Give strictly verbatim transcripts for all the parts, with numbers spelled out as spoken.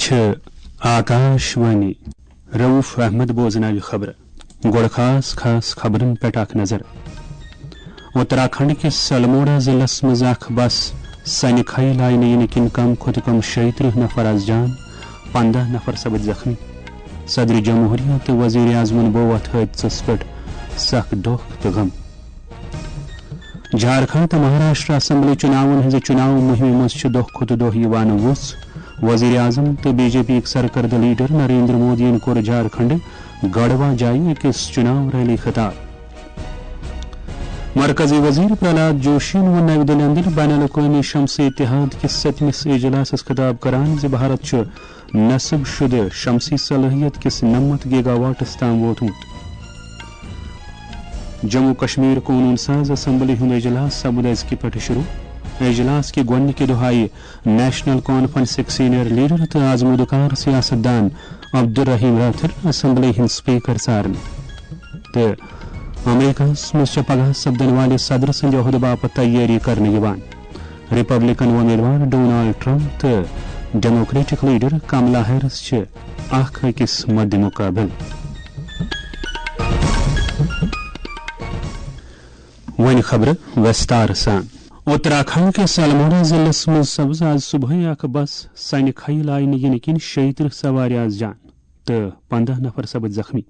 چھِ آکاش وانی۔ رؤف احمد بوزناوِ خبرٕ۔ گۄڈٕ خاص خاص خبرن پٮ۪ٹھ اکھ نظر۔ اتراکھنڈ کِس الموڑا ضلعس منٛز اکھ بس سنہِ کھیہِ لاینہٕ یِنہٕ کِنۍ کم کھۄتہٕ کم شیٚیہِ ترٕٛہ نفر از جان، پنٛداہ نفر سپٕدۍ زخمی۔ صدر جمہوریہ تہٕ وزیر اعظمن بوو اتھ حٲدثس پٮ۪ٹھ سخ دۄکھ تہٕ غم۔ جھارکھنڈ تہٕ مہاراشٹر اسمبلی چُناون ہٕنٛزِ چُناو مُہمہِ منٛز چھِ دۄہ کھۄتہٕ دۄہ یِوان وُژھ۔ وزیر اعظم تہٕ بی جے پی یِک سرکردٕ لیڈر نریندر مودیَن کوٚر جھارکھنڈ گڑھوا جایہِ أکِس چُناو ریلی خطاب۔ مرکزی وزیر پرہلاد جوشیَن ووٚن نَوِ دِلہِ اندر بین الاقوٲمی شمسی اتحاد کِس سٔتمِس اجلاسَس خطاب کران زِ بھارت چھُ نصب شدٕ شمسی صلٲحیت کِس نَمَتھ گیگا واٹس تام ووتمُت۔ جموں کشمیر قونون ساز اسمبلی ہُنٛد اجلاس سپُد أزکہِ پٮ۪ٹھٕ شروع۔ اجلاس کہِ گۄڈٕنِکہِ دۄہ آیہِ نیشنل کانفرنسٕکۍ سینئر لیڈر تہٕ آزمودٕ کار سیاست دان عبدالرحیم راتھر اسمبلی ہٕنٛدۍ سپیکر ژارنہٕ۔ تہٕ امریکہس منٛز چھےٚ پگاہ سپدن والہِ صدر سٕنٛدِ عہدٕ باپتھ تیٲری کرنہٕ یِوان۔ ریپبلکن وۄمیدوار ڈونالڈ ٹرمپ تہٕ ڈیموکریٹک لیڈر کملا ہیرس چھِ اکھ أکِس مدِ مقابل۔ وۄنۍ خبرٕ وستار سان۔ اتراکھنڈ کِس الموڑا ضلعس منٛز سپٕز آز صبحٲے اکھ بس سنہِ کھیہِ لاینہٕ یِنہٕ کِنۍ شیٚیہِ ترٕٛہ سوارِ آز جان تہٕ پنٛداہ نفر سپٕدۍ زخمی۔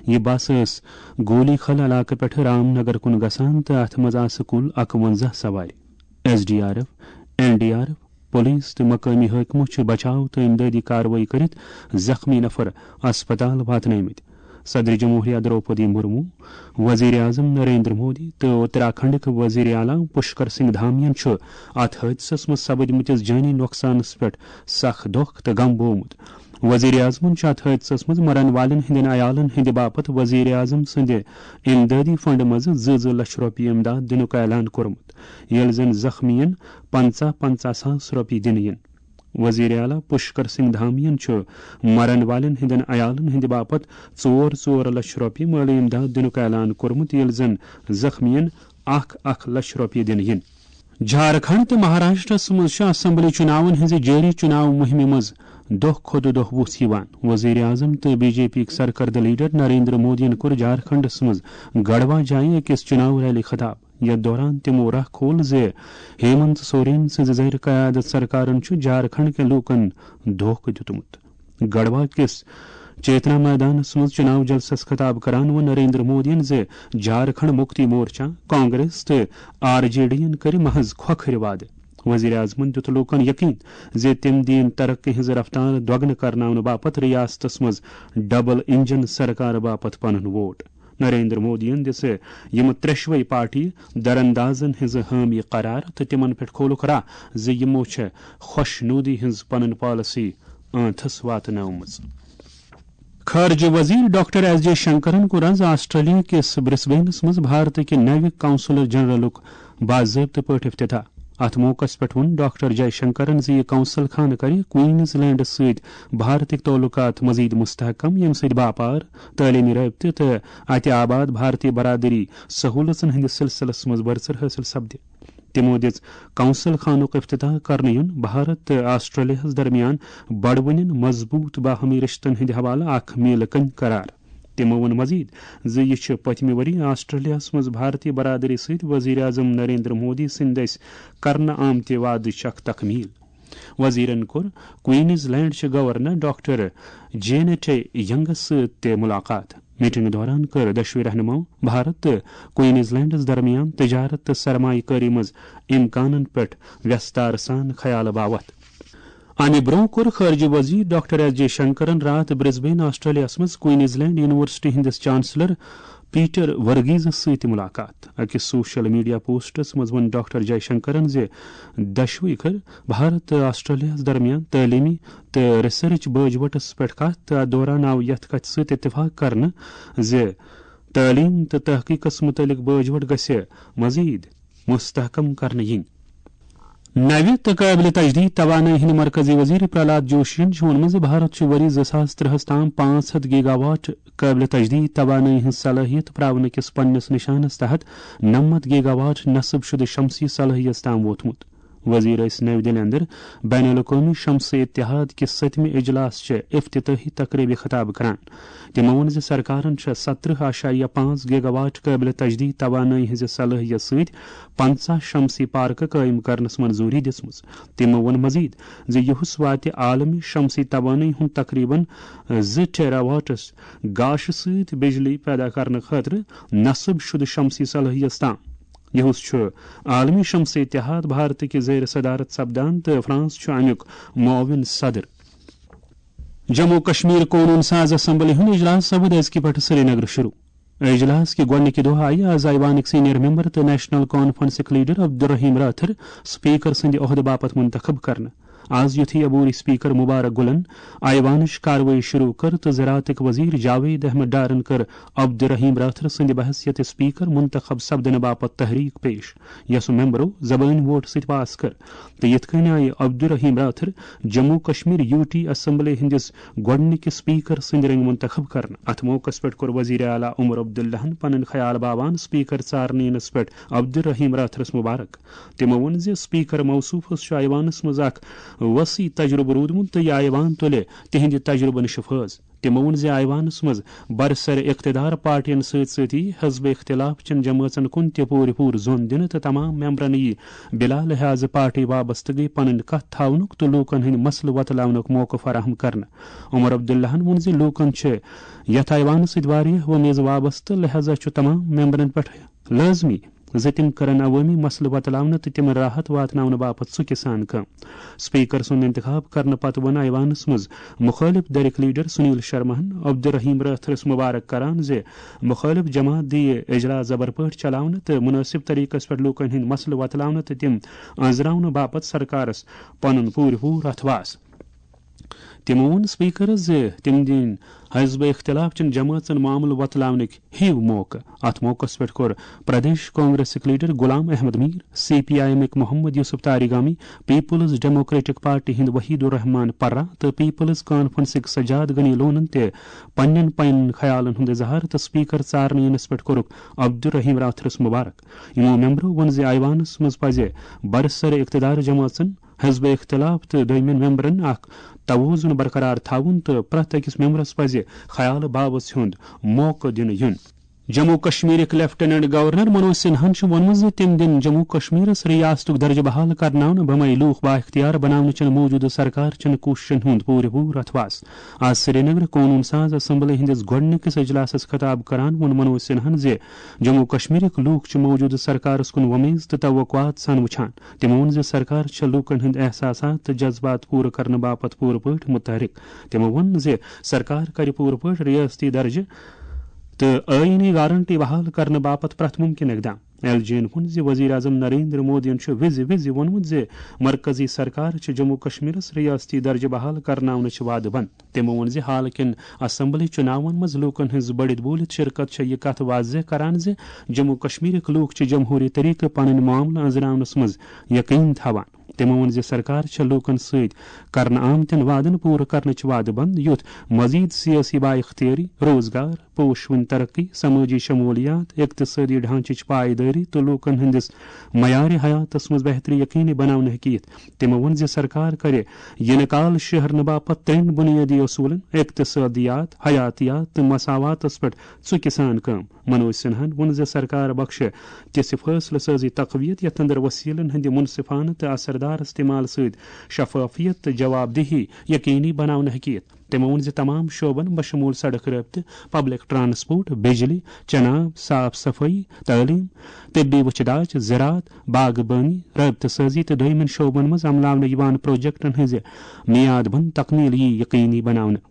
یہِ بس ٲس گولی خل علاقہٕ پٮ۪ٹھٕ رام نگر کُن گژھان تہٕ اتھ منٛز آسہٕ کُل اکوَنزاہ سوارِ۔ S D R F, N D R F, police تہٕ مقٲمی حٲکمو چھِ بچاو تہٕ امدادی کاروٲیی کٔرِتھ زخمی نفر اسپتال واتنٲومٕتۍ۔ صدر جمہوریہ دروپدی مرمو، وزیر اعظم نریندر مودی تہٕ اتراکھنڈٕکۍ وزیر اعلیٰ پشکر سنگھ دھامیَن چھُ اتھ حٲدثس منٛز سپدمٕتِس جٲنی نۄقصانس پٮ۪ٹھ سخ دۄکھ تہٕ غم بوومُت۔ وزیر اعظمَن چھُ اتھ حٲدثس منٛز مرن والٮ۪ن ہٕنٛدٮ۪ن عیالن ہٕنٛدِ باپتھ وزیر اعظم سٕنٛدِ امدادی فنڈ منٛز زٕ زٕ لچھ رۄپیہِ امداد دِنُک اعلان کوٚرمُت، ییٚلہِ زن زخمیَن پنٛژاہ پنٛژاہ ساس رۄپیہِ دِنہٕ یِن۔ وزیر اعلیٰ پشکر سنگھ دھامیَن چھُ مرن والٮ۪ن ہٕنٛدٮ۪ن عیالن ہٕنٛدِ باپتھ ژور ژور لچھ رۄپیہِ مٲلی امداد دِنُک اعلان کوٚرمُت، ییٚلہِ زن زخمیَن اکھ اکھ لچھ رۄپیہِ دِنہٕ یِن۔ جھارکھنڈ تہٕ مہاراشٹرس منٛز چھِ اسمبلی چُناون ہٕنٛزِ جٲری چُناو مُہِمہِ منٛز دۄہ کھۄتہٕ دۄہ وُژھ یِوان۔ وزیر اعظم تہٕ بی جے پی یِک سرکردٕ لیڈر نریندر مودیَن کوٚر جھارکھنڈس منٛز گڑھوا جایہِ أکِس چُناو ریلی خطاب، یتھ دوران تِمو راہ کھول زِ ہیمنت سورین سٕنٛزِ زیر قیادت سرکارن چھُ جھارکھنڈ کٮ۪ن لوٗکن دھوکہٕ دیُتمُت۔ گڑھوا کِس چیتنا میدانس منٛز چُناو جلسس خطاب کران ووٚن نریندر مودیَن زِ جھارکھنڈ مُکتی مورچہ، کانگریس تہٕ آر جے ڈی یَن کٔرۍ محض کھۄکھرِ وعدٕ۔ وزیر اعظمَن دیُت لوٗکَن یقین زِ تِم دِیِن ترقی ہٕنٛز رفتار دۄگنہٕ کرناونہٕ باپتھ ریاستس منٛز ڈبل انجن سرکار باپتھ پنُن ووٹ۔ نریندر مودیَن دِژ یِم ترٛٮ۪شوَے پارٹی دراندازن ہٕنٛز حٲمی قرار تہٕ تِمن پٮ۪ٹھ کھولُکھ راہ زِ یِمو چھےٚ خۄش نودی ہٕنٛز پنٕنۍ پالیسی ٲنتھس واتنٲومٕژ۔ خارجہ وزیر ڈاکٹر ایس جے شنکرن کوٚر آز آسٹریلیا کِس برسبینس منٛز بھارت کہِ نوِ قونصلر جنرلُک باضٲبطہٕ پٲٹھۍ افتتاح۔ اتھ موقعس پٮ۪ٹھ ووٚن ڈاکٹر جے شنکرن زِ یہِ قونصل خانہٕ کرِ کوئنز لینڈس سۭتۍ بھارتٕکۍ تعلقات مزید مستحکم، ییٚمہِ سۭتۍ باپار، تعلیمی رٲبطہٕ تہٕ اتہِ آباد بھارتی برادری سہولژن ہٕنٛدِس سلسلس منٛز بڑژر حٲصِل سپدِ۔ تِمو دِژ قونصل خانُک افتتاح کرنہٕ یُن بھارت تہٕ آسٹریلیاہَس درمیان بڑوٕنٮ۪ن مضبوط باہمی رشتن ہٕنٛدِ حوالہٕ اکھ میلہٕ کٔنۍ قرار۔ تِمو ووٚن مزید زِ یہِ چھُ پٔتمہِ ؤری آسٹریلیاہَس منٛز بھارتی برادری سۭتۍ وزیر اعظم نریندر مودی سٕنٛدِ دٔسۍ کرنہٕ آمتہِ وعدٕچ اکھ تکمیل۔ وزیرن کوٚر کوئنز لینڈ چہِ گورنر ڈاکٹر جینیٹ ینگس سۭتۍ تہِ ملاقات۔ میٹنگ دوران کٔر دۄشوٕے رہنماو بھارت تہٕ کوئنز لینڈس درمیان تجارت تہٕ سرمایہ کٲری منٛز امکانن پٮ۪ٹھ ویستار سان خیال باوتھ۔ امہِ برونٛہہ کوٚر خارجہ وزیر ڈاکٹر ایس جے شنکرن راتھ برسبین آسٹریلیاہس منٛز کوئنز لینڈ یونیورسٹی ہٕنٛدِس چانسلر پیٹر ورگیزس سۭتۍ ملاقات۔ أکِس سوشل میڈیا پوسٹس منٛز ووٚن ڈاکٹر جے شنکرن زِ دۄشوٕے کٔر بھارت تہٕ آسٹریلیاہس درمیان تعلیمی تہٕ ریسرچ باجوٹس پٮ۪ٹھ کتھ تہٕ اتھ دوران آو یتھ کتھِ سۭتۍ اتفاق کرنہٕ زِ تعلیم تہٕ تحقیقس متعلق باجوٹ گژھِ مزید مستحکم کرنہٕ یِنۍ۔ نوِ تہٕ قٲبلِ تجدید توانٲیی ہٕنٛدۍ مرکزی وزیر پرہلاد جوشین چھُ ووٚنمُت زِ بھارت چھُ ؤری زٕ ساس ترٛہَس تام پانٛژھ ہَتھ گیگا واٹ قٲبلِ تجدید توانٲیی ہٕنٛز صلٲحیت پراونہٕ کِس پننِس نشانس تحت نَمَتھ گیگا واٹ نصب شدٕ شمسی صلٲحیت تام ووتمُت۔ وزیر ٲسۍ نَوِ دِلہِ اندر بین الاقوٲمی شمسی اتحاد کِس سٔتمہِ اجلاس چہِ افتتاحی تقریبہِ خطاب کران۔ تِمو ووٚن زِ سرکارن چھےٚ سترہ اعشاریہ پانٛژھ گیگا واٹ قٲبلِ تجدید توانٲیی ہٕنٛزِ صلٲحیت سۭتۍ پنژاہ شمسی پارکہٕ قٲیِم کرنس منظوٗری دِژمٕژ۔ تِمو ووٚن مزید زِ یُہُس واتہِ عالمی شمسی توانٲیی ہُنٛد تقریباً زٕ ٹیرا واٹس گاشہِ سۭتۍ بجلی پیدا کرنہٕ خٲطرٕ نصب شدٕ شمسی صلٲحیت تام۔ یُہُس چھُ عالمی شمسی اتحاد بھارت کہِ زیر صدارت سپدان تہٕ فرانس چھُ امیُک معاون صدر۔ جموں کشمیر قونوٗن ساز اسمبلی ہُنٛد اجلاس سپُد أزکہِ پٮ۪ٹھٕ سرینگرٕ شروع۔ اجلاس کہِ گۄڈٕنِکہِ دۄہ آیہِ آز ایوانٕکۍ سینئر ممبر تہٕ national کانفرنسٕکۍ leader Abdul Rahim Rather speaker سٕنٛدِ عہدٕ باپتھ منتخب کرنہٕ۔ آز یُتھُے عبوری سپیکر مبارک گُلن ایوانٕچ کاروٲیی شروع کٔر تہٕ زراعتٕکۍ وزیر جاوید احمد ڈارن کٔر عبدالرحیم رٲتھر سٕنٛدِ بحیثیت سپیکر منتخب سپدنہٕ باپتھ تحریک پیش، یۄسہٕ ممبرو زبٲنۍ ووٹ سۭتۍ پاس کٔر۔ تہٕ یِتھ کٔنۍ آیہِ Abdul Rahim Rather Jammu Kashmir U T assembly ہٕنٛدِس گۄڈٕنِکِس سپیکر سٕنٛدِ رٔنگۍ منتخب کرنہٕ۔ اتھ موقعس پٮ۪ٹھ کوٚر وزیر اعلیٰ عمر عبداللہن پنٕنۍ خیال باوان سپیکر ژارنہٕ یِنس پٮ۪ٹھ عبدالرحیم رٲتھرس مبارک۔ تِمو ووٚن زِ سپیکر موصوفس چھُ ایوانس منٛز اکھ وسیع تجربہٕ روٗدمُت تہٕ یہِ ایوان تُلہِ تِہنٛدِ تجربہٕ نِش فٲض۔ تِمو ووٚن زِ ایوانس منٛز برسر اقتدار پارٹین سۭتۍ سۭتی حزب اختلاف چٮ۪ن جمٲژن کُن تہِ پوٗرٕ پوٗرٕ زوٚن دِنہٕ تہٕ تمام ممبرن یی بلا لحاظ پارٹی وابستگی پنٕنۍ کتھ تھاونُک تہٕ لوٗکن ہٕنٛدۍ مسلہٕ وۄتلاونُک موقعہٕ فراہم کرنہٕ۔ عمر عبداللہن ووٚن زِ لوٗکن چھِ یتھ ایوانس سۭتۍ واریاہ وۄمیز وابستہٕ، لہذا چھُ تمام ممبرن پٮ۪ٹھ لٲزمی زِ تِم کرن عوٲمی مسلہٕ وۄتلاونہٕ تہٕ تِمن راحت واتناونہٕ باپتھ ژُکہِ سان کٲم۔ سپیکر سُنٛد انتخاب کرنہٕ پتہٕ ووٚن ایوانس منٛز مُخٲلف دھرِک لیڈر سنیل شرماہن عبدالرحیم رٲتھرس مبارک کران زِ مُخٲلف جماعت دِیہِ اجلاس زبر پٲٹھۍ چلاونہٕ تہٕ مُنٲسِب طریقس پٮ۪ٹھ لوٗکن ہٕنٛدۍ مسلہٕ وۄتلاونہٕ تہٕ تِم أنٛزراونہٕ باپتھ سرکارس پنُن پوٗرٕ پوٗرٕ اتھواس۔ تِمو ووٚن سپیکرس زِ تِم دِن حزب اختلاف چٮ۪ن جمٲژن معاملہٕ وۄتلاونٕکۍ ہِوۍ موقعہٕ۔ اتھ موقعس پٮ۪ٹھ کوٚر پردیش کانگریسٕکۍ leader Ghulam Ahmad Mir, C P I ایمٕکۍ Mohammad Yousuf Tarigami, people's democratic party ہٕنٛدۍ وحید الرحمان پرہ تہٕ پیپلز کانفرنسٕکۍ سجاد غنی لونن تہِ پننٮ۪ن پننٮ۪ن خیالن ہُنٛد اظہار تہٕ سپیکر ژارنہٕ یِنس پٮ۪ٹھ کوٚرُکھ عبدالرحیم راتھرس مبارک۔ یِمو ممبرو ووٚن زِ ایوانس منٛز پزِ برسر اقتدار جمٲژن، حزب اختلاف تہٕ دوٚیمٮ۪ن ممبرن اکھ توازن برقرار تھاوُن تہٕ پرٛٮ۪تھ أکِس ممبرس پزِ خیال باوس ہُنٛد موقعہٕ دِنہٕ یُن۔ جموں کشمیرٕکۍ لیفٹیننٹ گورنر منوج سنہاہن چھُ ووٚنمُت زِ تِم دِن جموں کشمیرس ریاستُک درجہٕ بحال کرناونہٕ بمے لوٗکھ بااختیار بناونہٕ چٮ۪ن موجودٕ سرکار چٮ۪ن کوٗششن ہُنٛد پوٗرٕ پوٗرٕ اتھواس۔ آز سرینگرٕ قونوٗن ساز اسمبلی ہٕنٛدِس گۄڈٕنِکِس اجلاسس خطاب کران ووٚن منوج سنہاہن زِ جموں کشمیرٕکۍ لوٗکھ چھِ موجودٕ سرکارس کُن وۄمیز تہٕ توقعات سان وٕچھان۔ تِمو ووٚن زِ سرکار چھےٚ لوٗکن ہٕنٛدۍ احساسات تہٕ جذبات پوٗرٕ کرنہٕ باپتھ پوٗرٕ پٲٹھۍ متحرک۔ تِمو ووٚن زِ سرکار کرِ پوٗرٕ پٲٹھۍ ریاستی درجہٕ تہٕ آئینی گارنٹی بحال کرنہٕ باپتھ پرٛٮ۪تھ ممکن اقدام۔ ایل جی ین ووٚن زِ وزیر اعظم نریندر مودیَن چھُ وِزِ وِزِ ووٚنمُت زِ مرکزی سرکار چھِ جموں کشمیرس ریاستی درجہٕ بحال کرناونٕچ وعدٕ بنٛد۔ تِمو ووٚن زِ حال کٮ۪ن اسمبلی چُناون منٛز لوٗکن ہٕنٛز بٔڑِتھ بوٗلِتھ شرکت چھےٚ یہِ کتھ واضح کران زِ جموں کشمیرٕکۍ لوٗکھ چھِ جمہوٗری طریقہٕ پنٕنۍ معاملہٕ أنٛزراونس منٛز یقین تھاوان۔ تِمو ووٚن زِ سرکار چھےٚ لوٗکن سۭتۍ کرنہٕ آمتٮ۪ن وعدن پوٗرٕ کرنٕچ وعدٕ بنٛد، یُتھ مزید سیٲسی بااختیٲری، روزگار، پوشوٕنۍ ترقی، سمٲجی شمولیات، اقتصٲدی ڈھانچٕچ پایدٲری تہٕ لوٗکن ہٕنٛدِس معیارِ حیاتس منٛز بہتری یقینی بناونہٕ ہیٚکہِ یِتھ۔ تِمو ووٚن زِ سرکار کرِ یِنہٕ کال شہرنہٕ باپتھ ترٛٮ۪ن بُنیٲدی اصوٗلن، اقتصٲدیات، حیاتیات تہٕ مساواتس پٮ۪ٹھ ژُکہِ سان کٲم۔ منوج سنہاہن ووٚن زِ سرکار بخشہِ تِژھِ فٲصلہٕ سٲزی تقویت، یتھ اندر وسیلن ہٕنٛدِ منصفانہٕ تہٕ اثردار استعمال سۭتۍ شفافیت تہٕ جواب دہی یقینی بناونہٕ ہیٚکہِ یِتھ۔ تِمو ووٚن زِ تمام شعبن بشمول سڑک رٲبطہٕ، پبلک ٹرانسپورٹ، بجلی، چناب، صاف صفائی، تعلیم، طبی وچھِ داج، زراعت، باغبٲنی، رٲبطہٕ سٲزی تہٕ دوٚیمٮ۪ن شعبن منٛز عملاونہٕ یِوان پروجیکٹن ہٕنٛزِ میعاد بند تکمیل یی یقینی بناونہٕ۔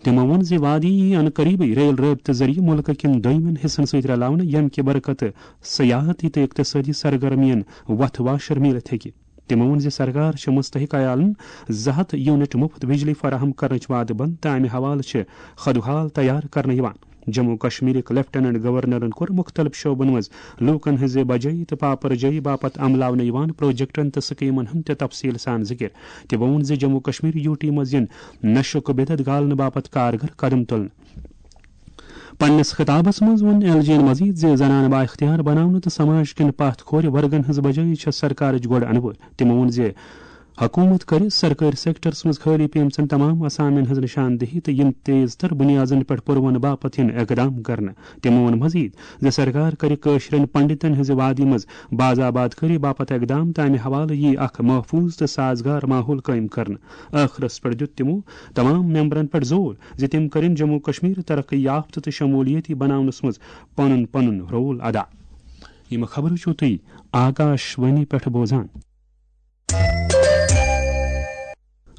تِمو ووٚن زِ وادی یی ان قریبٕے ریل رٲبطہٕ ذٔریعہٕ مُلکہٕ کٮ۪ن دوٚیمٮ۪ن حصن سۭتۍ رلاونہٕ، ییٚمہِ کہِ برکتہٕ سیاحتی تہٕ اقتصٲدی سرگرمین وتھ واشر میٖلِتھ ہیٚکہِ۔ تِمو ووٚن زِ سرکار چھِ مستحق عیالَن زٕ ہَتھ یونٹ مُفت بجلی فراہم کرنٕچ وعدٕ بنٛد تہٕ امہِ حوالہٕ چھِ خدوحال تیار کرنہٕ یِوان۔ جموں کشمیرٕکۍ لیفٹیننٹ گورنرن کوٚر مُختٔلِف شعبن منٛز لوٗکَن ہٕنٛزِ بجٲیی تہٕ پاپرجٲیی باپتھ عملاونہٕ یِوان پروجیکٹن تہٕ سکیمن ہُنٛد تہِ تفصیل سان ذِکِر۔ تِمو ووٚن زِ جموں کشمیر یوٗ ٹی منٛز یِن نشُک بدعت گالنہٕ باپتھ کارگر قدم تُلنہٕ۔ پننِس خطابس منٛز ووٚن ایل جی ین مزید زِ زنانہٕ بااختیار بناونہٕ تہٕ سماج کٮ۪ن پتھ کھورِ ورگن ہٕنٛز بجٲیی چھےٚ سرکارٕچ گۄڈٕ انوٲرۍ۔ تِمو ووٚن زِ حکوٗمت کرِ سرکٲرۍ سیکٹرس منٛز خٲلی پیمژن تمام اسامین ہٕنٛز نشاندہی تہٕ یِم تیز تر بنیادن پٮ۪ٹھ پُروُن باپتھ یِن اقدام کرنہٕ۔ تِمو ووٚن مزید زِ سرکار کرِ کٲشرٮ۪ن پنڈتن ہٕنٛزِ وادی منٛز باز آباد کٲری باپتھ اقدام تہٕ امہِ حوالہٕ یِیہِ اکھ محفوٗظ تہٕ سازگار ماحول قٲیِم کرنہٕ۔ ٲخرس پٮ۪ٹھ دیُت تِمو تمام ممبرن پٮ۪ٹھ زور زِ تِم کٔرِن جموں کشمیر ترقی یافتہٕ تہٕ شمولیتی بناونس منٛز پنُن پنُن رول ادا۔ یِم خبرٕ چھِو تُہۍ آکاش وانی پٮ۪ٹھ بوزان۔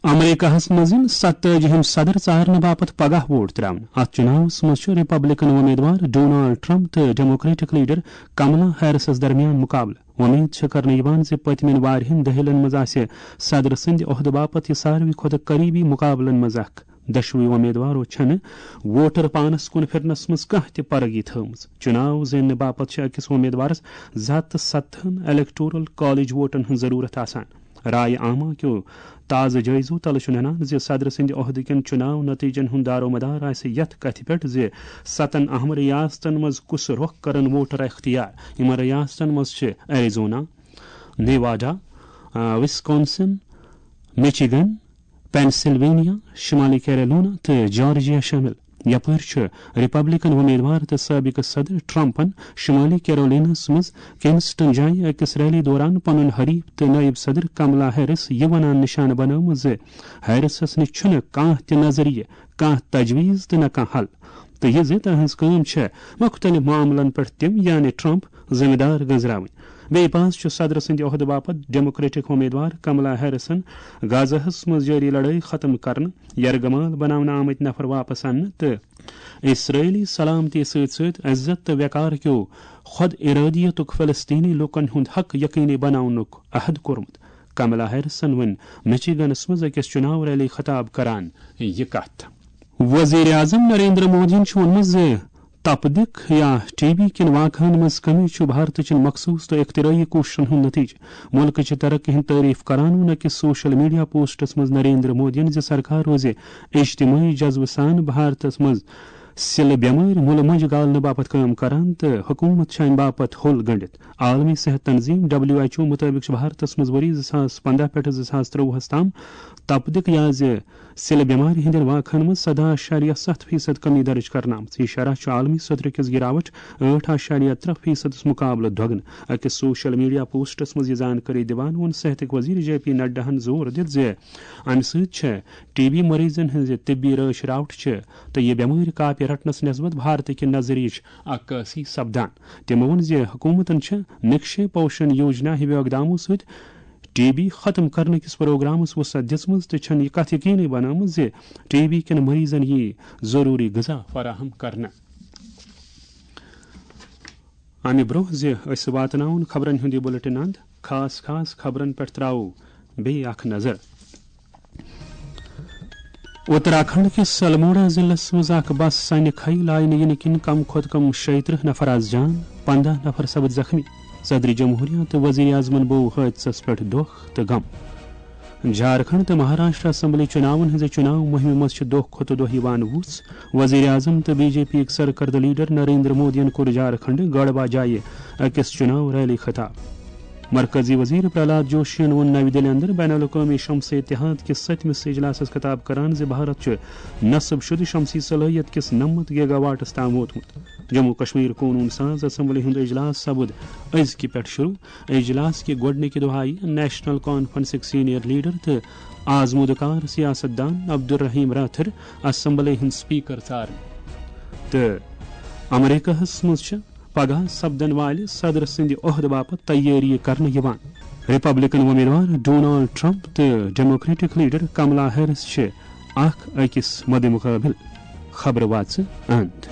امریکہس منٛز یِن ستٲجِہِم صدر ژارنہٕ باپتھ پگاہ ووٹ تراونہٕ۔ اتھ چُناوس منٛز چھُ ریپبلکن وۄمیدوار ڈونالڈ ٹرمپ تہٕ ڈیموکریٹک لیڈر کملا ہیرسس درمیان مقابلہٕ۔ وۄمید چھےٚ کرنہٕ یِوان زِ پٔتمٮ۪ن واریاہن دٔہلن منٛز آسہِ صدر سٕنٛدِ عہدٕ باپتھ یہِ ساروٕے کھۄتہٕ قریبی مقابلن منٛز اکھ۔ دۄشوٕے وۄمیدوارو چھنہٕ ووٹر پانس کُن پھرنس منٛز کانٛہہ تہِ پرگی تھٲومٕژ۔ چُناو زیننہٕ باپتھ چھِ أکِس وۄمیدوارس زٕ ہتھ تہٕ ستتھن الیکٹورل کالج ووٹن ہٕنٛز ضروٗرت آسان۔ رایہِ عامہ کیو تازٕ جٲیزو تلہٕ چھُ ننان زِ صدر سٕنٛدِ عہدٕ کٮ۪ن چُناو نتیجن ہُنٛد دارومدار آسہِ یتھ کتھِ پٮ۪ٹھ زِ ستن اہم ریاستن منٛز کُس رۄخ کرن ووٹر اختیار۔ یِمن ریاستن منٛز چھِ ایریزونا، نیواڈا، آ، وسکونسن، مچیگن، پینسلوینیا، شمالی کیرولونا تہٕ جارجیا شٲمِل۔ یپٲرۍ چھُ ریپبلکن وۄمیدوار تہٕ سٲبقہٕ صدر ٹرمپن شمالی کیرولیناہس منٛز کنسٹن جایہِ أکِس ریلی دوران پنُن حریف تہٕ نائب صدر کملا ہیرس یہِ ونان نشانہٕ بنٲومٕژ زِ ہیرسس نِش چھُنہٕ کانٛہہ تہِ نظریہ، کانٛہہ تجویز تہٕ نہ کانٛہہ حل، تہٕ یہِ زِ تہنٛز کٲم چھےٚ مختلف معاملن پٮ۪ٹھ تِم، یعنی ٹرمپ، ذمہٕ دار گنزراوٕنۍ۔ بیٚیہِ پاس چھُ صدر سٕنٛدِ عہدٕ باپتھ ڈیموکریٹک وۄمیدوار کملا ہیرسن غزہس منٛز جٲری لڑٲے ختم کرنہٕ، یرغمال بناونہٕ آمٕتۍ نفر واپس اننہٕ تہٕ اسرٲیلی سلامتی سۭتۍ سۭتۍ عزت تہٕ وقار کیو خود ارادیتُک فلسطینی لوٗکن ہُنٛد حق یقینی بناونُک عہد کوٚرمُت۔ کملا ہیرسن ووٚن مچیگنس منٛز أکِس چُناو ریلی خطاب کران یہِ کتھ۔ وزیر اعظم نریندر مودیَن چھُ ووٚنمُت زِ تپدق یا ٹی بی کٮ۪ن واقعن منٛز کمی چھُ بھارتٕچن مخصوص تہٕ اختراعی کوٗششن ہُنٛد نتیجہٕ۔ مُلکٕچہِ ترقی ہٕنٛز تعریف کران ووٚن أکِس سوشل میڈیا پوسٹس منٛز نریندر مودیَن زِ سرکار روزِ اجتماعی جذبہٕ سان بھارتس منٛز سِلہٕ بٮ۪مٲرۍ مُلہٕ مۄنجہِ گالنہٕ باپتھ کٲم کران تہٕ حکوٗمت چھِ امہِ باپتھ ہوٚل گٔنٛڈِتھ۔ عالمی صحت تنظیم، ڈبلیو ایچ او مُطٲبِق چھُ بھارتس منٛز ؤری زٕ ساس پنٛداہ پٮ۪ٹھٕ زٕ ساس ترٛۆوُہس تام تپدق یا زِ سِلہٕ بٮ۪مارِ ہٕنٛدٮ۪ن واقعن منٛز سداہ اعشاریہ ستھ فیصد کمی درج کرنہٕ آمٕژ۔ یہِ شرح چھُ عالمی سطرٕ کِس گراوٹ ٲٹھ اعشاریہ ترٛےٚ فیصدس مقابلہٕ دۄگنہٕ۔ أکِس سوشل میڈیا پوسٹس منٛز یہِ زانکٲری دِوان ووٚن صحتٕکۍ وزیر جے پی نڈاہن زور دِتھ زِ امہِ سۭتۍ چھےٚ ٹی بی مریضن ہٕنٛزِ طبی رٲچھ راوٹھ چھِ تہٕ یہِ بٮ۪مٲرۍ کاپہِ رٹنس نسبت بھارتٕکہِ نظریچ عکٲسی سپدان۔ تِمو ووٚن زِ حکوٗمتن چھِ نقشے پوشن یوجنا ہِویو اقدامو سۭتۍ ٹی بی ختم کرنہٕ کِس پروگرامس وسعت دِژمٕژ تہٕ چھَن یہِ کتھ یقینی بنٲومٕژ زِ ٹی بی کٮ۪ن مریضن یِیہِ ضروٗری غذا فراہم کرنہٕ۔ امہِ برٛونٛہہ زِ أسۍ واتناوون خبرن ہُنٛد یہِ بُلٹن اند، خاص خاص خبرن پٮ۪ٹھ ترٛاوو بیٚیہِ اکھ نظر۔ اتراکھنڈ کِس الموڑا ضلعس منٛز اکھ بس سنہِ کھیہِ لاینہٕ یِنہٕ کِنۍ کم کھۄتہٕ کم شیٚیہِ ترٕٛہ نفر از جان، پنٛداہ نفر سپٕدۍ زخمی۔ صدر جمہوریہ تہٕ وزیر اعظمن بوو حٲدثس پٮ۪ٹھ دۄکھ تہٕ غم۔ جھارکھنڈ تہٕ مہاراشٹر اسمبلی چُناون ہٕنٛزِ چُناو مُہمہِ منٛز چھِ دۄہ کھۄتہٕ دۄہ یِوان وُژھ۔ وزیر اعظم تہٕ بی جے پی یٕکۍ سرکردٕ لیڈر نریندر مودیَن کوٚر جھارکھنڈ گڑھوا جایہِ أکِس چُناو ریلی خطاب۔ مرکزی وزیر پرہلاد جوشین ووٚن نَوِ دِلہِ اندر بین الاقوٲمی شمسی اتحاد کِس سٔتمِس اجلاسَس خطاب کران زِ بھارت چھُ نصب شدٕ شمسی صلٲحیت کِس نَمَتھ گیگا واٹس تام ووتمُت۔ جموں کشمیر قونوٗن ساز اسمبلی ہُنٛد اجلاس سپُد أزکہِ پٮ۪ٹھ شروع۔ اجلاس کہِ گۄڈٕنِکہِ دۄہ آیہِ نیشنل کانفرنسٕکۍ سینئر لیڈر تہٕ آزمودٕ کار سیاست دان عبدالرحیم راتھر اسمبلی ہُنٛد سپیکر ژارنہٕ۔ تہٕ امریکہس منٛز چھِ پگاہ سپدن والہِ صدر سٕنٛدِ عہدٕ باپتھ تیٲری کرنہٕ یِوان۔ ریپبلکن وۄمیدوار ڈونالڈ ٹرمپ تہٕ ڈیموکریٹک لیڈر کملا ہیرس چھِ اکھ أکِس مدِ مقابل۔ خبرٕ واژٕ اند۔